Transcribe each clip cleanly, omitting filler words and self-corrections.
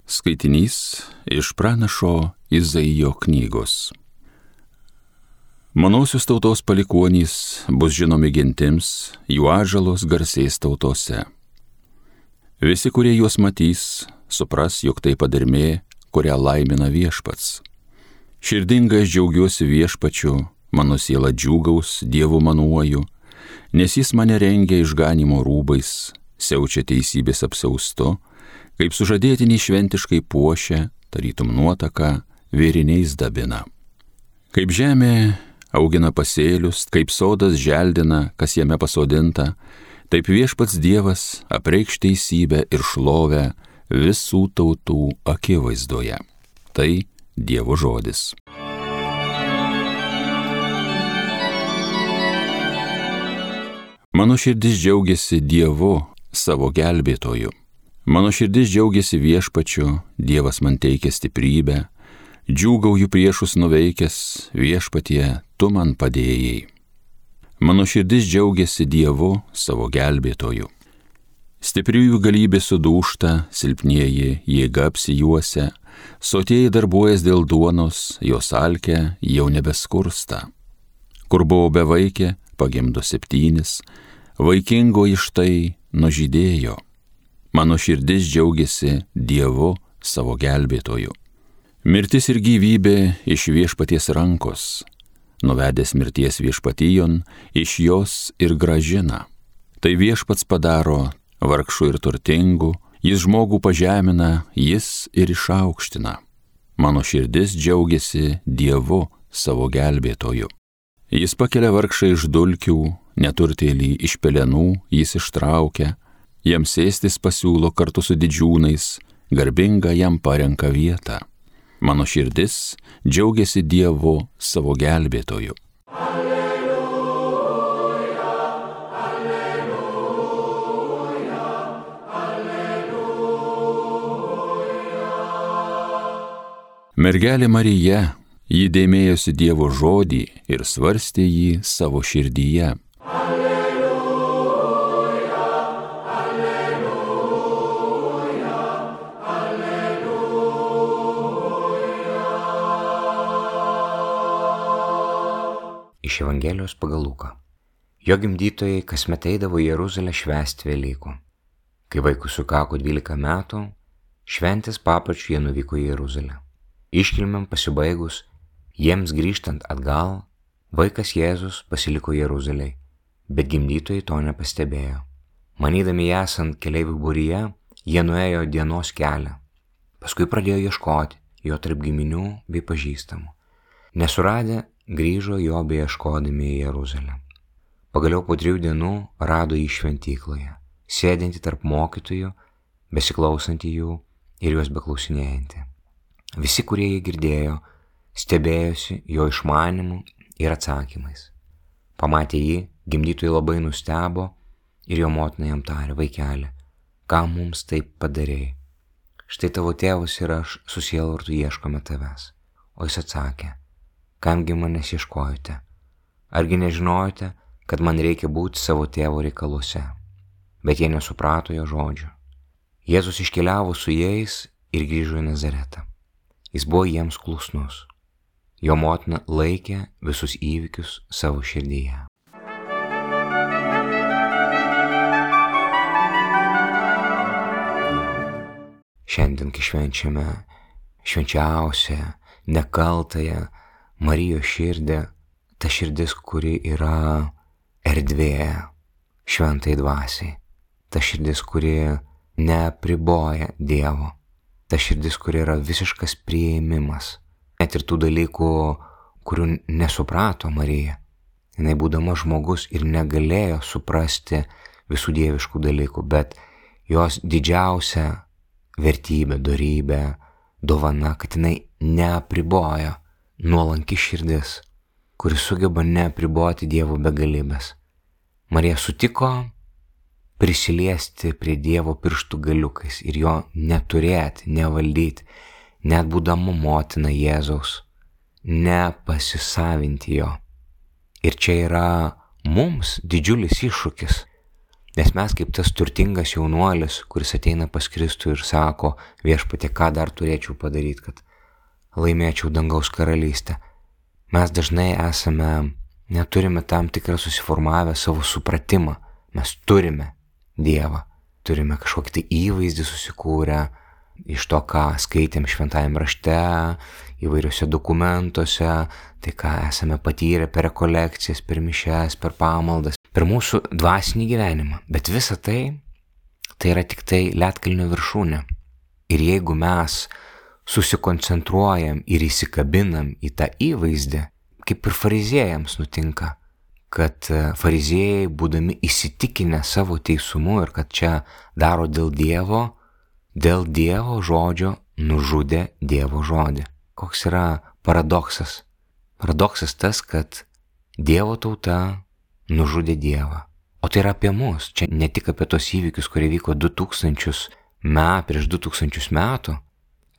Skaitinys iš pranašo Izaijo knygos. Manosios tautos palikuonys bus žinomi gentims, jų ąžuolos garsės tautose. Visi, kurie juos matys, supras, jog tai padermė, kurią laimina Viešpats. Širdingai aš džiaugiuosi Viešpačiu, mano siela džiūgaus, Dievu manuoju, nes jis mane rengia išganimo rūbais, siaučia teisybės apsiaustu, kaip sužadėtiniai šventiškai puošia, tarytum nuotaką, vėriniais dabina. Kaip žemė augina pasėlius, kaip sodas želdina, kas jame pasodinta, taip Viešpats Dievas apreikš teisybę ir šlovę visų tautų akivaizdoje. Tai Dievo žodis. Mano širdis džiaugiasi Dievu, savo gelbėtoju. Mano širdis džiaugiasi Viešpačiu, Dievas man teikia stiprybę, džiūgauju priešus nuveikęs, Viešpatie, tu man padėjai. Mano širdis džiaugiasi Dievu, savo gelbėtoju. Stipriųjų galybė sudūžta, silpnieji jėga apsijuosia, sotieji darbuojas dėl duonos, jos alkė jau nebeskursta. Kur buvo bevaikė, pagimdo 7, vaikingoji štai nužydėjo. Mano širdis džiaugiasi Dievu, savo gelbėtoju. Mirtis ir gyvybė iš Viešpaties rankos, nuvedęs mirties viešpatijon, iš jos ir grąžina. Tai Viešpats padaro vargšų ir turtingų, jis žmogų pažemina, jis ir išaukština. Mano širdis džiaugiasi Dievu, savo gelbėtoju. Jis pakelia vargšą iš dulkių, neturtėlį iš pelenų jis ištraukia, jam sėstis pasiūlo kartu su didžiūnais, garbinga jam parenka vietą. Mano širdis džiaugiasi Dievu, savo gelbėtoju. Alleluja, alleluja, alleluja. Mergelė Marija, ji dėmėjosi Dievo žodį ir svarstė jį savo širdyje. Iš Evangelijos pagal Luką. Jo gimdytojai kasmet eidavo į Jeruzalę švęsti Velykų. Kai vaikui sukako 12 metų, šventės papročiu jie nuvyko į Jeruzalę. Iškilmėm pasibaigus, jiems grįžtant atgal, vaikas Jėzus pasiliko Jeruzalėj, bet gimdytojai to nepastebėjo. Manydami esant keleivių būryje, jie nuėjo dienos kelią. Paskui pradėjo ieškoti jo tarp giminių bei pažįstamų. Nesuradę, grįžo jo beieškodami į Jeruzalę. Pagaliau po 3 dienų rado jį šventykloje, sėdintį tarp mokytojų, besiklausantį jų ir juos beklausinėjantį. Visi, kurie jį girdėjo, stebėjosi jo išmanimu ir atsakymais. Pamatę jį, gimdytojai labai nustebo ir jo motina jam tarė: vaikeli, ką mums taip padarei? Štai tavo tėvas ir aš su sielvartu ieškome tavęs. O jis atsakė: kamgi manęs ieškojote? Argi nežinojote, kad man reikia būti savo tėvo reikaluose? Bet jie nesuprato jo žodžių. Jėzus iškeliavo su jais ir grįžo į Nazaretą. Jis buvo jiems klusnus. Jo motina laikė visus įvykius savo širdyje. Šiandien, kai švenčiame švenčiausią, nekaltąją Marijos širdį, ta širdis, kuri yra erdvė šventai dvasiai, ta širdis, kuri neapriboja Dievo, ta širdis, kuri yra visiškas priėmimas, net ir tų dalykų, kurių nesuprato Marija. Jinai būdama žmogus ir negalėjo suprasti visų dieviškų dalykų, bet jos didžiausia vertybė, dorybė, dovana, kad jinai neapribojo. Nuolanki širdis, kuri sugeba neapriboti Dievo begalybės. Marija sutiko prisiliesti prie Dievo pirštų galiukais ir jo neturėti, nevaldyti, net būdama motina Jėzaus, nepasisavinti jo. Ir čia yra mums didžiulis iššūkis. Nes mes kaip tas turtingas jaunuolis, kuris ateina pas Kristų ir sako, Viešpatie, ką dar turėčiau padaryti, kad laimėčiau dangaus karalystę. Mes dažnai neturime tam tikrą susiformavę savo supratimą. Mes turime Dievą, turime kažkokį tai įvaizdį susikūrę iš to, ką skaitėm šventajame rašte, įvairiuose dokumentuose, tai ką esame patyrę per rekolekcijas, per mišias, per pamaldas, per mūsų dvasinį gyvenimą. Bet visa tai yra tik tai ledkalnio viršūnė. Ir jeigu mes susikoncentruojam ir įsikabinam į tą įvaizdį, kaip ir fariziejams nutinka, kad fariziejai, būdami įsitikinę savo teisumu ir kad čia daro dėl Dievo žodžio nužudė Dievo žodį. Koks yra paradoksas? Paradoksas tas, kad Dievo tauta nužudė Dievą. O tai yra apie mus. Čia ne tik apie tos įvykius, kurie vyko prieš 2000 metų.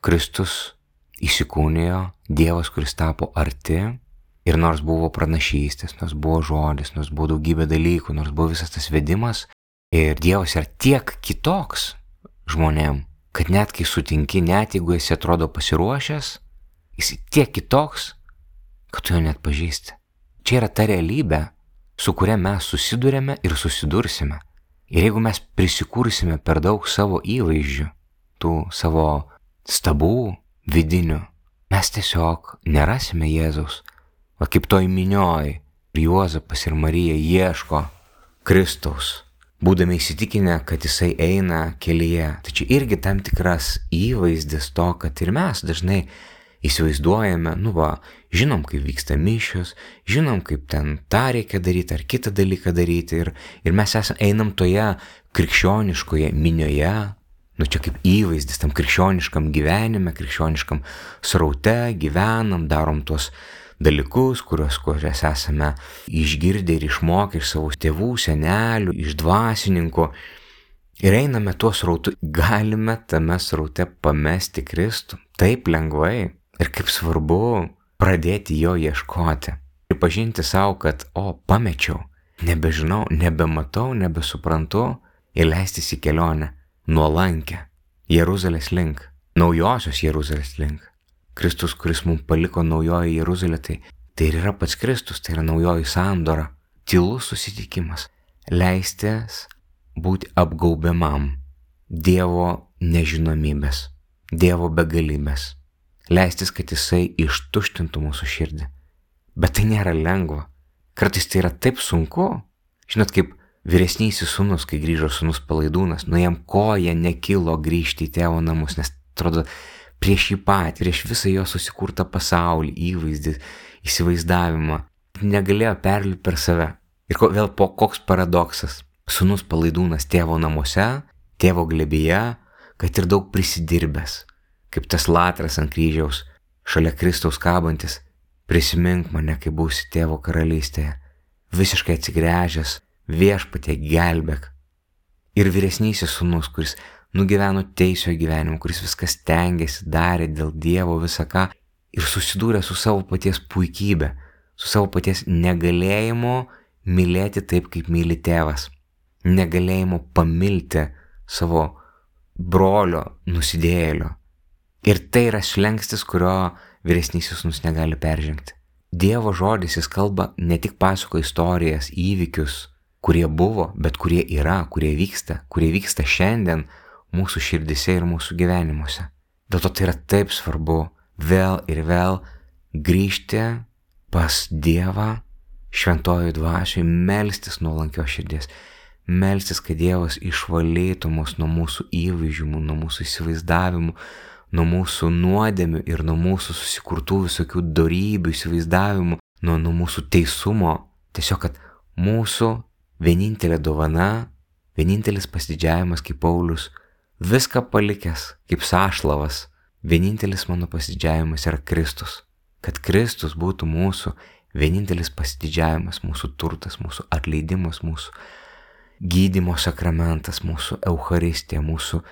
Kristus įsikūnijo, Dievas, kuris tapo arti. Ir nors buvo pranašystės, nors buvo žodis, nors buvo daugybė dalykų, nors buvo visas tas vedimas. Ir Dievas yra tiek kitoks žmonėm, kad net kai sutinki, net jeigu esi atrodo pasiruošęs, jis tiek kitoks, kad tu jo net pažįsti. Čia yra ta realybė, su kuria mes susidurėme ir susidursime. Ir jeigu mes prisikūrsime per daug savo įvaizdžių, tų savo stabų vidinių, mes tiesiog nerasime Jėzaus. O kaip toj minioj, Juozapas ir Marija ieško Kristaus, būdami įsitikinę, kad jisai eina kelyje. Tai čia irgi tam tikras įvaizdis to, kad ir mes dažnai įsivaizduojame, žinom, kaip vyksta mišios, žinom, kaip ten tą reikia daryti ar kitą dalyką daryti ir mes einam toje krikščioniškoje minioje, čia kaip įvaizdis tam krikščioniškam gyvenime, krikščioniškam sraute gyvenam, darom tuos dalykus, kuriuos esame išgirdę ir išmokę iš savo tėvų, senelių, iš dvasininkų. Ir einame tuo srautu, galime tame sraute pamesti Kristų taip lengvai. Ir kaip svarbu pradėti jo ieškoti. Pripažinti savo, kad, pamečiau, nebežinau, nebematau, nebesuprantu ir leistis į kelionę nuolankę Jeruzalės link, naujosios Jeruzalės link. Kristus, kuris mums paliko naujoji Jeruzalė, tai ir yra pats Kristus, tai yra naujoji sandora, tylus susitikimas, leistis būti apgaubiamam Dievo nežinomybės, Dievo begalybės, leistis, kad jisai ištuštintų mūsų širdį. Bet tai nėra lengva. Kartais tai yra taip sunku. Žinot, kaip vyresnysis sūnus, kai grįžo sūnus palaidūnas, jam koja nekilo grįžti į tėvo namus, nes atrodo, prieš jį patį, prieš visą jo susikurtą pasaulį, įvaizdį, įsivaizdavimą, negalėjo perlipti per save. Ir vėl koks paradoksas. Sūnus palaidūnas tėvo namuose, tėvo glėbyje, kad ir daug prisidirbęs, kaip tas latras ant kryžiaus, šalia Kristaus kabantis, prisimink mane, kai būsi tėvo karalystėje, visiškai atsigręžęs, Viešpatie gelbėk. Ir vyresnysis sūnus, kuris nugyveno teisio gyvenimą, kuris viskas stengėsi, darė dėl Dievo visą ką ir susidūrė su savo paties puikybė, su savo paties negalėjimu mylėti taip, kaip myli tėvas, negalėjimu pamilti savo brolio nusidėjėlio. Ir tai yra slengstis, kurio vyresnysis sūnus negali peržengti. Dievo žodis, jis kalba, ne tik pasako istorijas, įvykius, kurie buvo, bet kurie yra, kurie vyksta šiandien mūsų širdise ir mūsų gyvenimuose. Dėl to tai yra taip svarbu vėl ir vėl grįžti pas Dievą šventojoj dvasioj, melstis nuolankios širdies, melstis, kad Dievas išvalytų mus nuo mūsų įvaizdžių, nuo mūsų įsivaizdavimų, nuo mūsų nuodėmių ir nuo mūsų susikurtų visokių dorybių, įsivaizdavimų, nuo mūsų teisumo. Tiesiog, kad mūsų vienintelė dovana, vienintelis pasididžiavimas kaip Paulius, viską palikęs kaip sąšlavas, vienintelis mano pasididžiavimas yra Kristus. Kad Kristus būtų mūsų vienintelis pasididžiavimas, mūsų turtas, mūsų atleidimas, mūsų gydymo sakramentas, mūsų Eucharistija, mūsų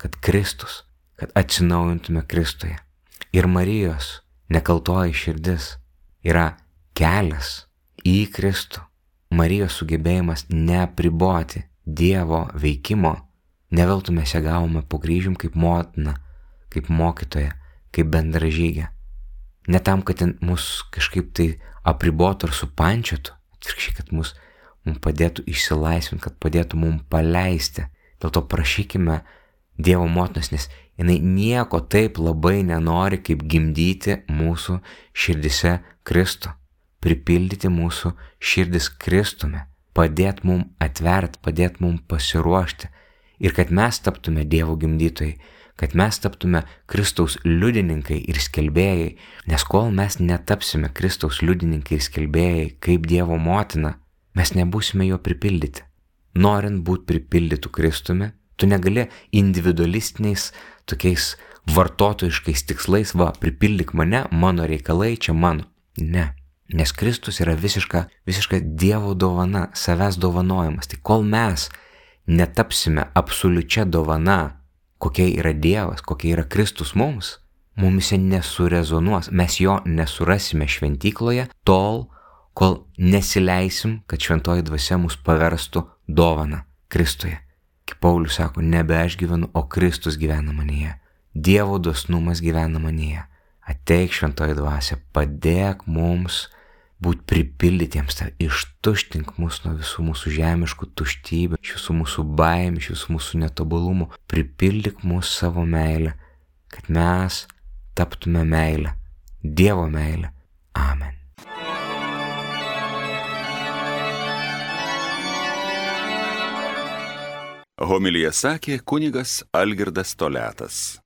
kad Kristus, kad atsinaujintume Kristuje. Ir Marijos nekaltoji širdis yra kelias į Kristų. Marijos sugebėjimas neapriboti Dievo veikimo, ne veltui mes ją gavome po kryžium kaip motina, kaip mokytoja, kaip bendražygė. Ne tam, kad mus kažkaip tai apribotų ar supančiotų, atvirkščiai, kad mums padėtų išsilaisvinti, kad padėtų mums paleisti. Dėl to prašykime Dievo motinos, nes jinai nieko taip labai nenori, kaip gimdyti mūsų širdise Kristų, pripildyti mūsų širdis Kristumi, padėti mums atverti, padėti mums pasiruošti ir kad mes taptume Dievo gimdytojai, kad mes taptume Kristaus liudininkai ir skelbėjai, nes kol mes netapsime Kristaus liudininkai ir skelbėjai kaip Dievo motina, mes nebūsime jo pripildyti. Norint būti pripildytų Kristumi, tu negali individualistiniais, tokiais vartotojiškais tikslais, pripildyk mane, mano reikalai čia mano. Ne, nes Kristus yra visiška Dievo dovana, savęs dovanojimas. Tai kol mes netapsime absoliučia dovana, kokia yra Dievas, kokia yra Kristus mums, mumise nesurezonuos, mes jo nesurasime šventykloje tol, kol nesileisim, kad šventoji dvasia mus paverstų dovana Kristuje. Kaip Paulius sako, nebe aš gyvenu, o Kristus gyvena manyje. Dievo dosnumas gyvena manyje. Ateik šventoji dvasia, padėk mums būti pripildytiems, ištuštink mus nuo visų mūsų žemiškų tuštybių, iš visų mūsų baimių, iš visų mūsų netobulumų. Pripildyk mus savo meilę, kad mes taptume meilę, Dievo meilę. Amen. Homiliją sakė kunigas Algirdas Toliatas.